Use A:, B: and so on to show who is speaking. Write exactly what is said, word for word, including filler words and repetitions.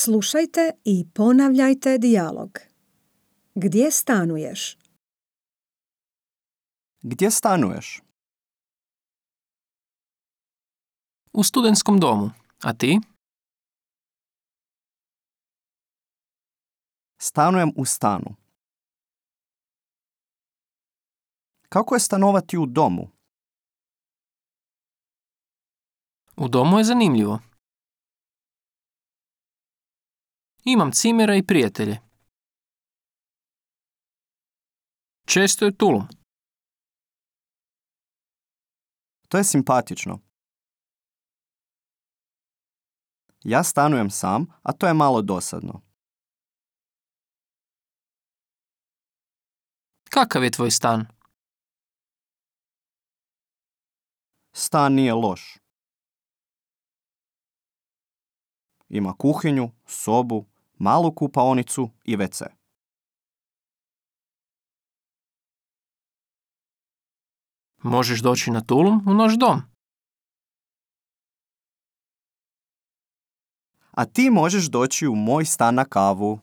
A: Slušajte i ponavljajte dijalog. Gdje stanuješ?
B: Gdje stanuješ?
C: U studentskom domu. A ti?
B: Stanujem u stanu. Kako je stanovati u domu?
C: U domu je zanimljivo. Imam cimera i prijatelje. Često je tulum.
B: To je simpatično. Ja stanujem sam, a to je malo dosadno.
C: Kakav je tvoj stan?
B: Stan nije loš. Ima kuhinju, sobu, malu kupaonicu i ve ce.
C: Možeš doći na tulum u naš dom.
B: A ti možeš doći u moj stan na kavu.